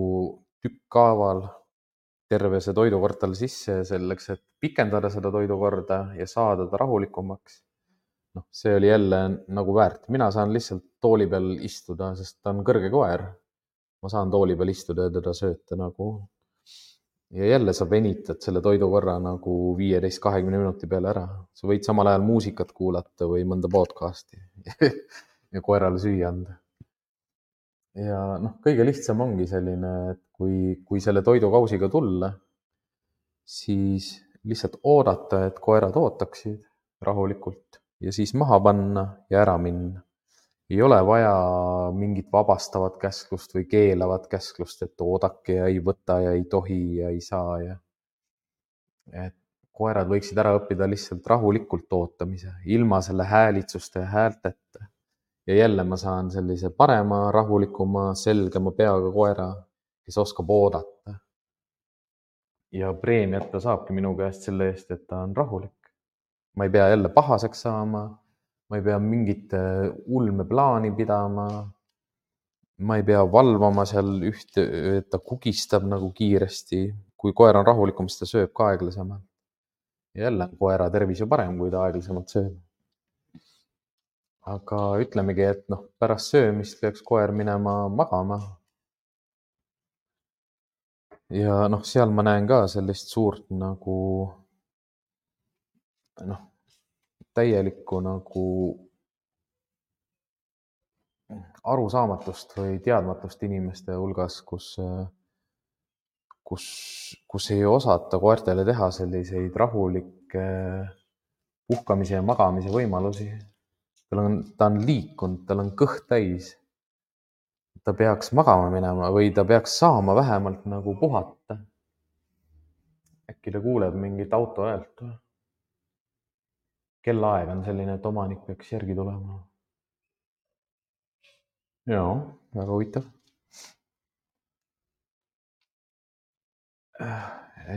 tükkhaaval terve see toidukord talle sisse selleks, et pikendada seda toidukorda ja saada ta rahulikumaks. Noh, see oli jälle nagu väärt. Mina saan lihtsalt tooli peal istuda, sest ta on kõrge koer. Ma saan tooli peal istuda ja teda sööta nagu. Ja jälle sa venitad selle toidukorra nagu viieteist kahekümne minuti peale ära. Sa võid samal ajal muusikat kuulata või mõnda podcasti ja koerale süüa anda. Ja noh, kõige lihtsam ongi selline, et kui, kui selle toidukausiga tulla, siis lihtsalt oodata, et koerad ootaksid rahulikult ja siis maha panna ja ära minna. Ei ole vaja mingit vabastavat käsklust või keelavat käsklust, et oodake ja ei võta ja ei tohi ja ei saa. Ja... Et koerad võiksid ära õppida lihtsalt rahulikult ootamise, ilma selle häälitsuste ja häälteta. Ja jälle ma saan sellise parema, rahulikuma, selgema peaga koera, kes oskab oodata. Ja preemiat ta saabki minu käest selle eest, et ta on rahulik. Ma ei pea jälle pahaseks saama. Ma ei pea mingit ulme plaani pidama. Ma ei pea valvama seal ühte, et ta kugistab nagu kiiresti. Kui koer on rahulikum, siis ta sööb ka aeglasemalt. Ja jälle on koera tervis ju parem, kui ta aeglasemalt sööb. Aga ütlemegi, et noh, pärast söömist peaks koer minema magama. Ja noh, seal ma näen ka sellist suurt nagu noh, täielikku nagu arusaamatust või teadmatust inimeste hulgas, kus, kus, kus ei osata koertele teha selliseid rahulikke puhkamise ja magamise võimalusi. Tal on, ta on liikunud, tal on kõht täis. Ta peaks magama minema või ta peaks saama vähemalt nagu puhata. Äkki ta kuuleb mingit auto häält. Kellaaeg on selline, et omanik peaks järgi tulema. Jaa, väga huvitav.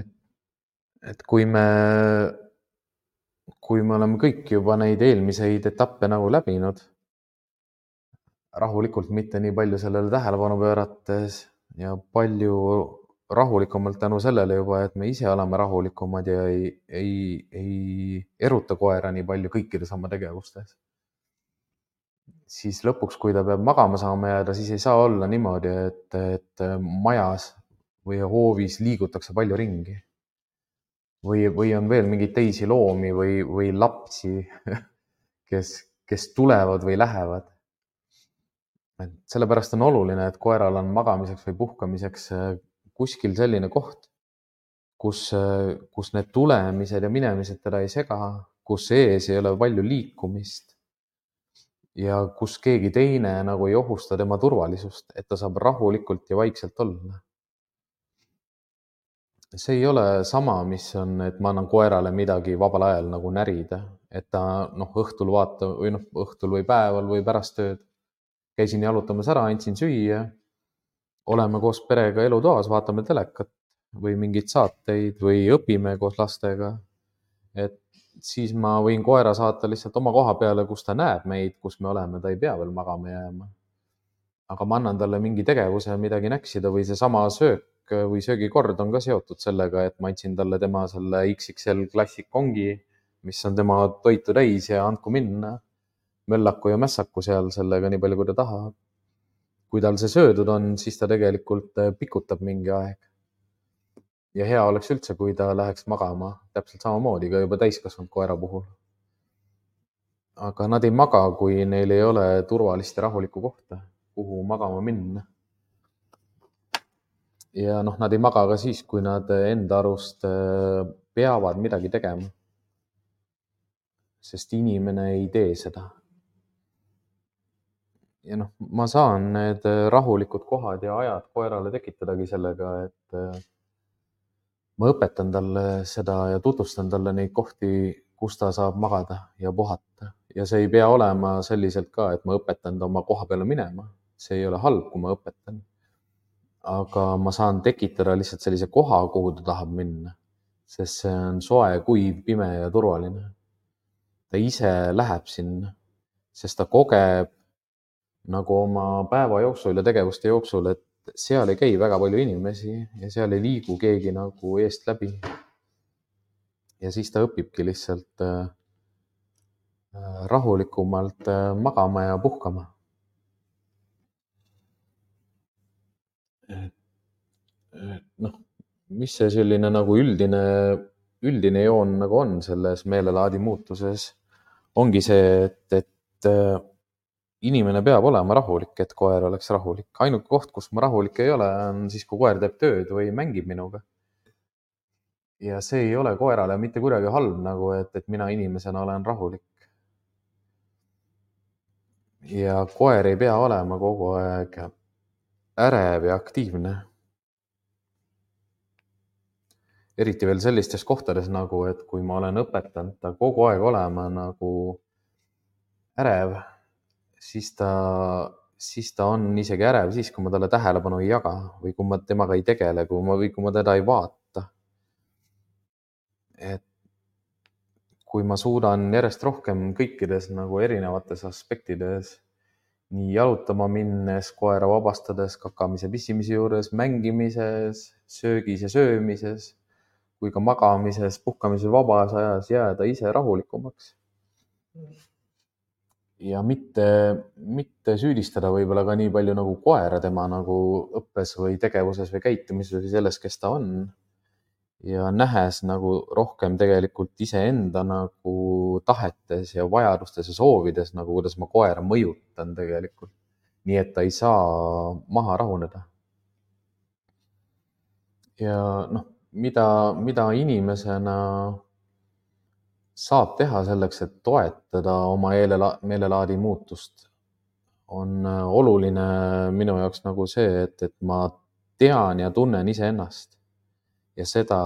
Et, et kui me, kui me oleme kõik juba neid eelmiseid etappe nagu läbinud, rahulikult mitte nii palju sellele tähelepanu pöörates ja palju rahulikumalt tänu sellele juba, et me ise oleme rahulikumad ja ei, ei, ei eruta koera nii palju kõikides oma tegevustes. Siis lõpuks, kui ta peab magama saama jääda, siis ei saa olla niimoodi, et, et majas või hoovis liigutakse palju ringi. Või, või on veel mingeid teisi loomi või, või lapsi, kes, kes tulevad või lähevad. Sellepärast on oluline, et koeral on magamiseks või puhkamiseks kuskil selline koht, kus, kus need tulemised ja minemised teda ei sega, kus ees ei ole palju liikumist ja kus keegi teine nagu ei ohusta tema turvalisust, et ta saab rahulikult ja vaikselt olla. See ei ole sama, mis on, et ma annan koerale midagi vabal ajal nagu närida, et ta noh, õhtul vaata või noh, õhtul või päeval või pärast tööd käisin jalutamas ära, andsin süüa, oleme koos perega elutoas, vaatame telekat või mingeid saateid või õpime koos lastega. Et siis ma võin koera saata lihtsalt oma koha peale, kus ta näeb meid, kus me oleme, ta ei pea veel magama jääma. Aga ma annan talle mingi tegevuse, midagi näksida või seesama söök või söögikord on ka seotud sellega, et ma andsin talle tema selle X X L Classic kongi, mis on tema toitu täis ja andku minna. Möllaku ja mässaku seal sellega nii palju, kui ta tahab. Kui tal see söödud on, siis ta tegelikult pikutab mingi aeg. Ja hea oleks üldse, kui ta läheks magama, täpselt samamoodi ka juba täiskasvanud koera puhul. Aga nad ei maga, kui neil ei ole turvalist ja rahulikku kohta, kuhu magama minna. Ja noh, nad ei maga ka siis, kui nad enda arust peavad midagi tegema. Sest inimene ei tee seda. Ja noh, ma saan need rahulikud kohad ja ajad koerale tekitadagi sellega, et ma õpetan talle seda ja tutvustan talle neid kohti, kus ta saab magada ja puhata. Ja see ei pea olema selliselt ka, et ma õpetan ta oma koha peale minema. See ei ole halb, kui ma õpetan. Aga ma saan tekitada lihtsalt sellise koha, kuhu ta tahab minna. Sest see on soe, kuiv, pime ja turvaline. Ta ise läheb sinna, sest ta kogeb nagu oma päeva jooksul ja tegevuste jooksul, et seal ei käi väga palju inimesi ja seal ei liigu keegi nagu eest läbi. Ja siis ta õpibki lihtsalt rahulikumalt magama ja puhkama. Noh, mis see selline nagu üldine, üldine joon nagu on selles meelelaadi muutuses, ongi see, et, et inimene peab olema rahulik, et koer oleks rahulik. Ainuke koht, kus ma rahulik ei ole, on siis, kui koer teeb tööd või mängib minuga. Ja see ei ole koerale mitte kuidagi halb, nagu et, et mina inimesena olen rahulik. Ja koer ei pea olema kogu aeg ärev ja aktiivne. Eriti veel sellistes kohtades nagu, et kui ma olen õpetanud ta kogu aeg olema nagu ärev, siis ta, siis ta on isegi ärev siis, kui ma talle tähelepanu ei jaga või kui ma temaga ei tegele, kui ma, või kui ma teda ei vaata. Et kui ma suudan järjest rohkem kõikides nagu erinevates aspektides, nii jalutama minnes, koera vabastades, kakamise, pissimise juures, mängimises, söögis ja söömises, kui ka magamises, puhkamises, vabas ajas jääda ise rahulikumaks. Ja mitte, mitte süüdistada võib-olla ka nii palju nagu koera tema nagu õppes või tegevuses või käitumises või selles, kes ta on. Ja nähes nagu rohkem tegelikult iseenda nagu tahetes ja vajadustes ja soovides, nagu kuidas ma koera mõjutan tegelikult. Nii et ta ei saa maha rahuneda. Ja noh, mida, mida inimesena saab teha selleks, et toetada oma meelelaadi muutust, on oluline minu jaoks nagu see, et, et ma tean ja tunnen iseennast ja seda,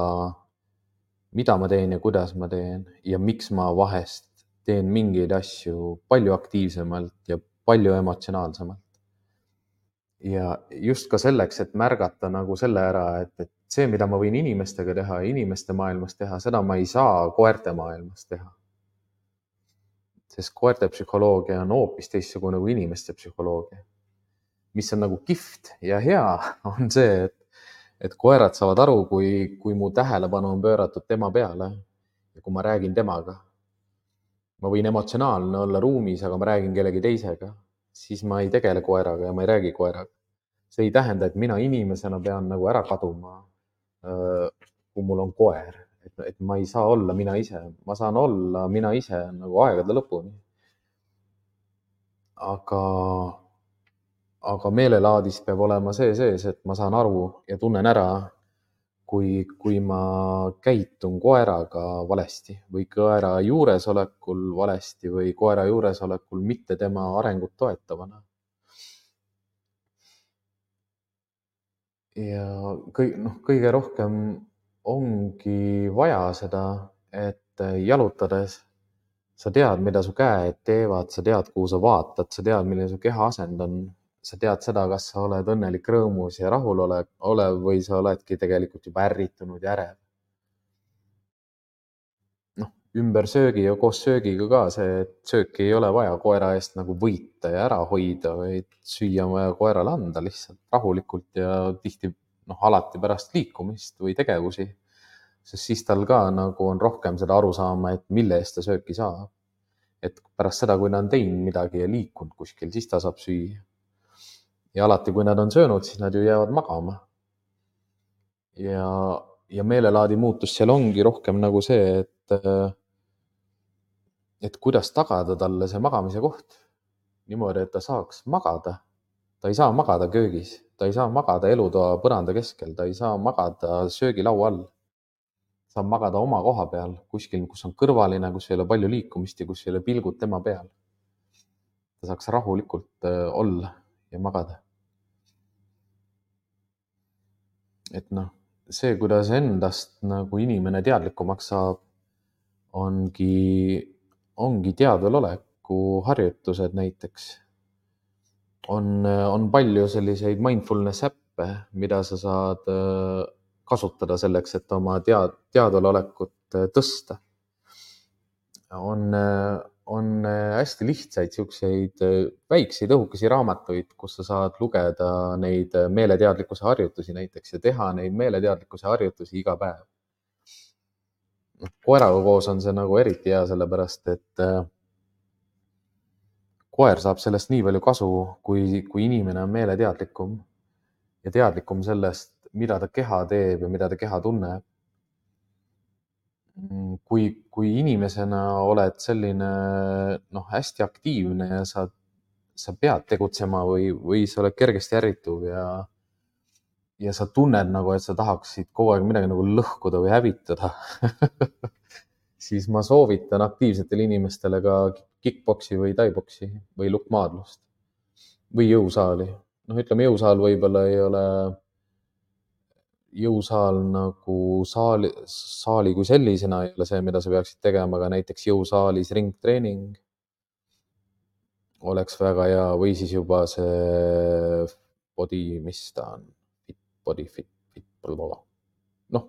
mida ma teen ja kuidas ma teen ja miks ma vahest teen mingeid asju palju aktiivsemalt ja palju emotsionaalsemalt. Ja just ka selleks, et märgata nagu selle ära, et, et see, mida ma võin inimestega teha, inimeste maailmas teha, seda ma ei saa koerte maailmas teha. Sest koerte psühholoogia on hoopis teistsugune kui inimeste psühholoogia. Mis on nagu kihvt ja hea, on see, et, et koerad saavad aru, kui, kui mu tähelepanu on pööratud tema peale ja kui ma räägin temaga. Ma võin emotsionaalne olla ruumis, aga ma räägin kellegi teisega. Siis ma ei tegele koeraga ja ma ei räägi koeraga. See ei tähenda, et mina inimesena pean nagu ära kaduma, kui mul on koer. Et, et ma ei saa olla mina ise. Ma saan olla mina ise nagu aegade lõpuni. Aga, aga meelelaadis peab olema see sees, et ma saan aru ja tunnen ära, kui, kui ma käitun koeraga valesti või koera juuresolekul valesti või koera juuresolekul mitte tema arengut toetavana. Ja kõige, noh, kõige rohkem ongi vaja seda, et jalutades sa tead, mida su käed teevad, sa tead, kuhu sa vaatad, sa tead, milline su keha asend on. Sa tead seda, kas sa oled õnnelik, rõõmus ja rahul ole- olev või sa oledki tegelikult juba ärritunud ja ärev. Noh, ümber söögi ja koos söögiga ka see, et sööki ei ole vaja koera eest nagu võita ja ära hoida, vaid süüa on vaja koerale anda lihtsalt rahulikult ja tihti, noh, alati pärast liikumist või tegevusi. Sest siis tal ka nagu on rohkem seda aru saama, et mille eest ta sööki saab. Et pärast seda, kui ta on teinud midagi ja liikunud kuskil, siis ta saab süüa. Ja alati, kui nad on söönud, siis nad ju jäävad magama. Ja, ja meelelaadi muutus seal ongi rohkem nagu see, et, et kuidas tagada talle see magamise koht. Niimoodi, et ta saaks magada. Ta ei saa magada köögis, ta ei saa magada elutoa põranda keskel, ta ei saa magada söögilaua all. Saab magada oma koha peal, kuskil, kus on kõrvaline, kus ei ole palju liikumist ja kus ei ole pilgud tema peal. Ta saaks rahulikult olla ja magada. Et noh, see, kuidas endast nagu inimene teadlikumaks saab, ongi, ongi teadveloleku harjutused näiteks. On, on palju selliseid mindfulness äppe, mida sa saad kasutada selleks, et oma tead, teadvelolekut tõsta. On, on hästi lihtsaid siukseid väikseid õhukesi raamatuid, kus sa saad lugeda neid meeleteadlikkuse harjutusi näiteks ja teha neid meeleteadlikkuse harjutusi iga päev. Koeraga koos on see nagu eriti hea, sellepärast et koer saab sellest nii palju kasu, kui, kui inimene on meeleteadlikum ja teadlikum sellest, mida ta keha teeb ja mida ta keha tunneb. Kui, kui inimesena oled selline noh, hästi aktiivne ja sa, sa pead tegutsema või, või sa oled kergesti ärrituv ja, ja sa tunned nagu, et sa tahaksid kogu aeg midagi nagu lõhkuda või hävitada, siis ma soovitan aktiivsetele inimestele ka kickboksi või taiboksi või lukkmaadlust või jõusaali. Noh, ütleme jõusaal võib-olla ei ole jõusaal nagu saali, saali kui sellisena ei ole see, mida sa peaksid tegema, aga näiteks jõusaalis ringtreening oleks väga hea või siis juba see body, mis ta on, fit, body, fit, fit, noh,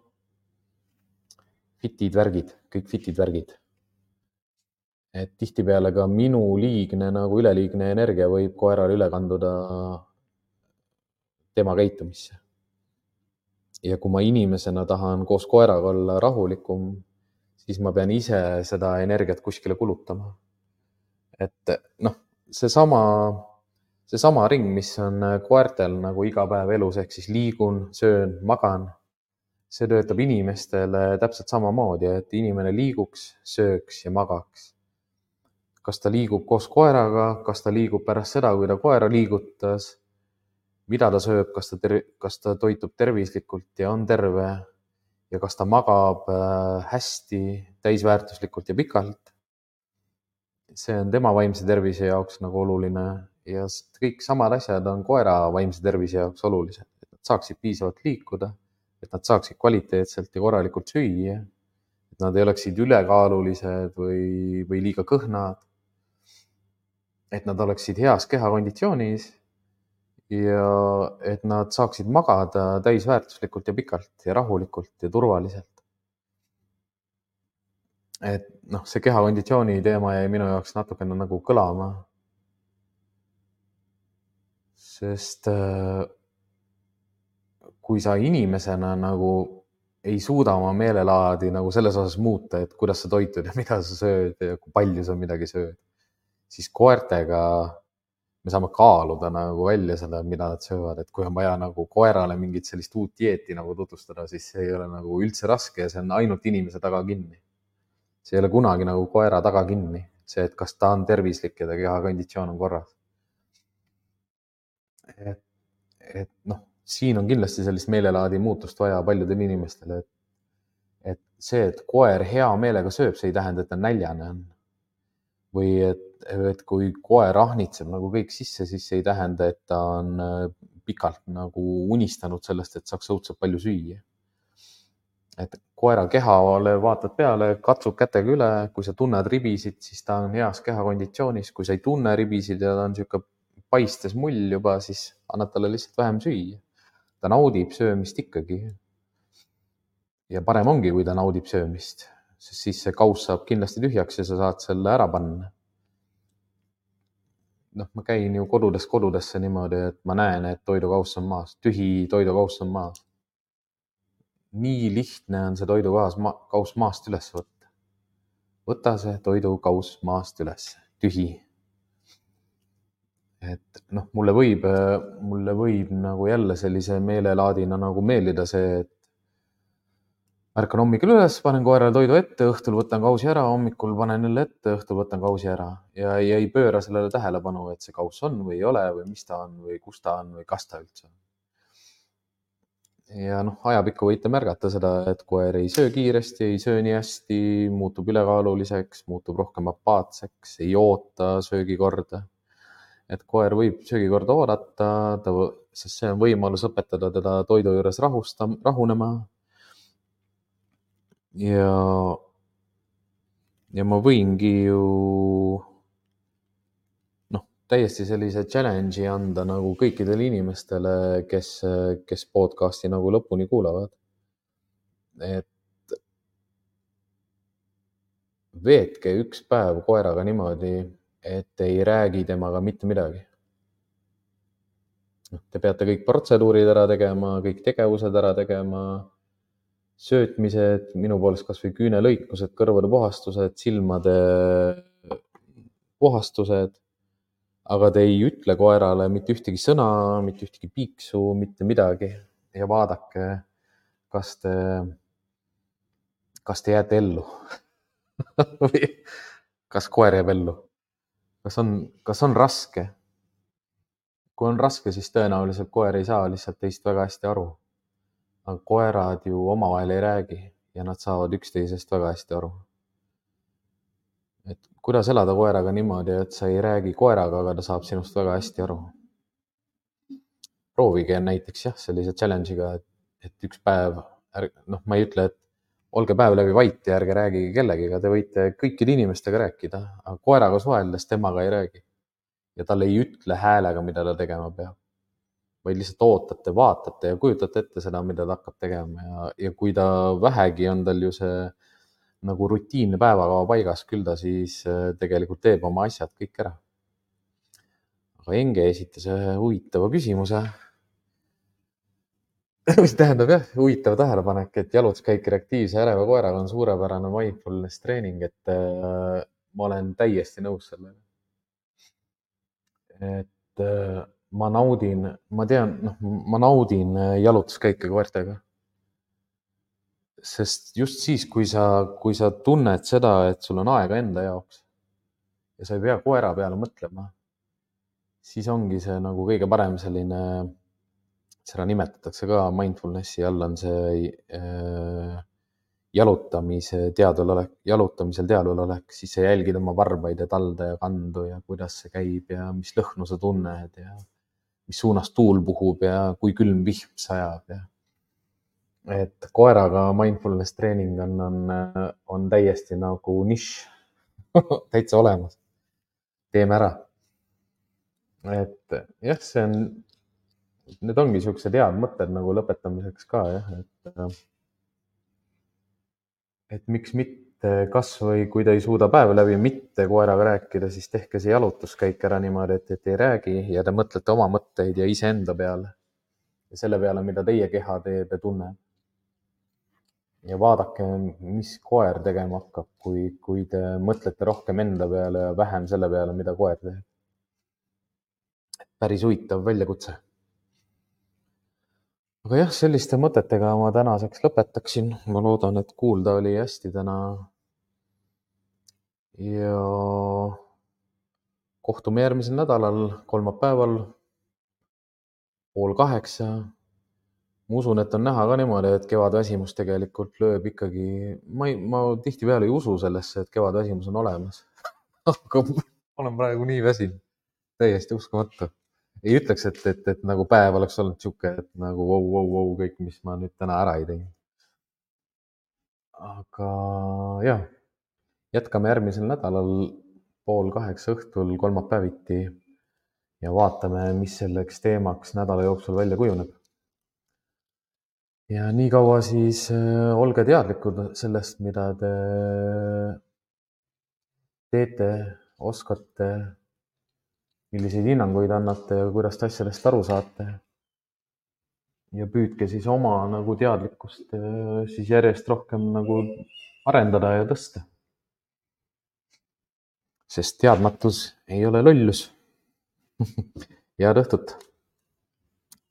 fitid värgid, kõik fitid värgid. Et tihtipeale ka minu liigne nagu üleliigne energia võib koerale üle kanduda tema käitumisse. Ja kui ma inimesena tahan koos koeraga olla rahulikum, siis ma pean ise seda energiat kuskile kulutama. Et noh, see sama, see sama ring, mis on koertel nagu iga päev elus, ehk siis liigun, söön, magan, see töötab inimestele täpselt samamoodi, et inimene liiguks, sööks ja magaks. Kas ta liigub koos koeraga, kas ta liigub pärast seda, kui ta koera liigutas, mida ta sööb, kas ta, ter- kas ta toitub tervislikult ja on terve ja kas ta magab hästi, täisväärtuslikult ja pikalt. See on tema vaimse tervise jaoks nagu oluline ja kõik samad asjad on koera vaimse tervise jaoks olulised, et nad saaksid piisavalt liikuda, et nad saaksid kvaliteetselt ja korralikult süüa, et nad ei oleksid ülekaalulised või, või liiga kõhnad, et nad oleksid heas kehakonditsioonis ja et nad saaksid magada täisväärtuslikult ja pikalt ja rahulikult ja turvaliselt. Et noh, see kehakonditsiooni teema jäi minu jaoks natukene nagu kõlama, sest kui sa inimesena nagu ei suuda oma meelelaadi nagu selles osas muuta, et kuidas sa toitud ja mida sa sööd ja kui palju sa midagi sööd, siis koertega me saame kaaluda nagu välja seda, mida nad söövad, et kui on vaja nagu koerale mingit sellist uut dieeti nagu tutvustada, siis see ei ole nagu üldse raske ja see on ainult inimese taga kinni. See ei ole kunagi nagu koera taga kinni, see, et kas ta on tervislik ja ta kehakonditsioon on korras. Et, et noh, siin on kindlasti sellist meelelaadi muutust vaja paljudel inimestele, et, et see, et koer hea meelega sööb, see ei tähenda, et ta näljane on. Või et, et kui koer ahnitseb nagu kõik sisse, siis see ei tähenda, et ta on pikalt nagu unistanud sellest, et saaks õudselt palju süüa. Et koera kehale vaatad peale, katsud kätega üle, kui sa tunned ribisid, siis ta on heas kehakonditsioonis. Kui sa ei tunne ribisid ja ta on sihuke paistes mull juba, siis annad talle lihtsalt vähem süüa. Ta naudib söömist ikkagi. Ja parem ongi, kui ta naudib söömist, sest siis see kauss saab kindlasti tühjaks ja sa saad selle ära panna. Noh, ma käin ju kodudest kodudesse niimoodi, et ma näen, et toidukauss on maas, tühi toidukauss on maas. Nii lihtne on see toidukauss ma, kauss maast üles võtta. Võta see toidukauss maast üles, tühi. Et noh, mulle võib, mulle võib nagu jälle sellise meelelaadina nagu meeldida see, et ärkan hommikul üles, panen koerale toidu ette, õhtul võtan kausi ära, hommikul panen jälle ette, õhtul võtan kausi ära. Ja ei, ei pööra sellele tähelepanu, et see kauss on või ei ole või mis ta on või kus ta on või kas ta üldse on. Ja noh, ajapikku võite märgata seda, et koer ei söö kiiresti, ei söö nii hästi, muutub ülekaaluliseks, muutub rohkem apaatseks, ei oota söögikorda. Et koer võib söögikorda oodata, ta, sest see on võimalus õpetada teda toidu juures rahusta, rahunema. Ja, ja ma võingi ju noh, täiesti sellise challenge'i anda nagu kõikidele inimestele, kes, kes podcasti nagu lõpuni kuulavad. Et veetke üks päev koeraga niimoodi, et ei räägi temaga mitte midagi. Te peate kõik protseduurid ära tegema, kõik tegevused ära tegema, söötmised, minu poolest kas või küünelõikused, kõrvade puhastused, silmade puhastused, aga te ei ütle koerale mitte ühtegi sõna, mitte ühtegi piiksu, mitte midagi ja vaadake, kas te, kas te jääte ellu või kas koer jääb ellu. Kas on, kas on raske? Kui on raske, siis tõenäoliselt koer ei saa lihtsalt teist väga hästi aru. Aga koerad ju omavahel ei räägi ja nad saavad üksteisest väga hästi aru. Et kuidas elada koeraga niimoodi, et sa ei räägi koeraga, aga ta saab sinust väga hästi aru. Proovige näiteks jah, sellise challenge'iga, et, et üks päev, noh, ma ei ütle, et olge päev läbi vait ja ärge räägige kellegiga, te võite kõikide inimestega rääkida, aga koeraga suheldes temaga ei räägi. Ja talle ei ütle häälega, mida ta tegema peab. Vaid lihtsalt ootate, vaatate ja kujutate ette seda, mida ta hakkab tegema ja, ja kui ta vähegi on tal ju see nagu rutiinne päevakava paigas, küll ta siis tegelikult teeb oma asjad kõik ära. Aga Enge esitas ühe huvitava küsimuse. Mis tähendab jah, huvitav tähelepanek, et jalutuskäik reaktiivse äreva koeraga on suurepärane mindfulness treening, et äh, ma olen täiesti nõus sellega. Et äh, ma naudin, ma tean, noh, ma naudin jalutuskäike koertega. Sest just siis, kui sa, kui sa tunned seda, et sul on aega enda jaoks ja sa ei pea koera peale mõtlema, siis ongi see nagu kõige parem selline, seda nimetatakse ka mindfulnessi all on see äh, jalutamise teadvalolek, jalutamisel teadvalolek, siis sa jälgid oma varbaid ja talde ja kandu ja kuidas see käib ja mis lõhnu sa tunned ja mis suunas tuul puhub ja kui külm vihm sajab. Ja. Et koeraga mindfulness treening on, on, on täiesti nagu nišš täitsa olemas. Teeme ära. Et jah, see on, need ongi siuksed head mõtted nagu lõpetamiseks ka jah, et, et miks mitte kas või kui te ei suuda päeva läbi mitte koeraga rääkida, siis tehke see jalutuskäik ära niimoodi, et, et ei räägi ja te mõtlete oma mõtteid ja iseenda peale ja selle peale, mida teie keha teeb ja tunneb. Ja vaadake, mis koer tegema hakkab, kui, kui te mõtlete rohkem enda peale ja vähem selle peale, mida koer teeb. Päris huvitav väljakutse. Aga jah, selliste mõtetega ma tänaseks lõpetaksin. Ma loodan, et kuulda oli hästi täna. Ja kohtume järgmisel nädalal, kolmapäeval, pool kaheksa. Ma usun, et on näha ka niimoodi, et kevadväsimus tegelikult lööb ikkagi, ma, ei, ma tihtipeale ei usu sellesse, et kevadväsimus on olemas. Aga ma olen praegu nii väsinud, täiesti uskumatu. Ei ütleks, et, et, et nagu päev oleks olnud siuke, et nagu wow, wow, wow, kõik, mis ma nüüd täna ära ei teinud. aga jah, jätkame järgmisel nädalal pool kaheksa õhtul kolmapäeviti ja vaatame, mis selleks teemaks nädala jooksul välja kujuneb. Ja nii kaua siis olge teadlikud sellest, mida te teete, oskate, milliseid hinnanguid annate ja kuidas te asjadest aru saate. Ja püüdke siis oma nagu teadlikkust siis järjest rohkem nagu arendada ja tõsta. Sest teadmatus ei ole lollus. Head õhtut!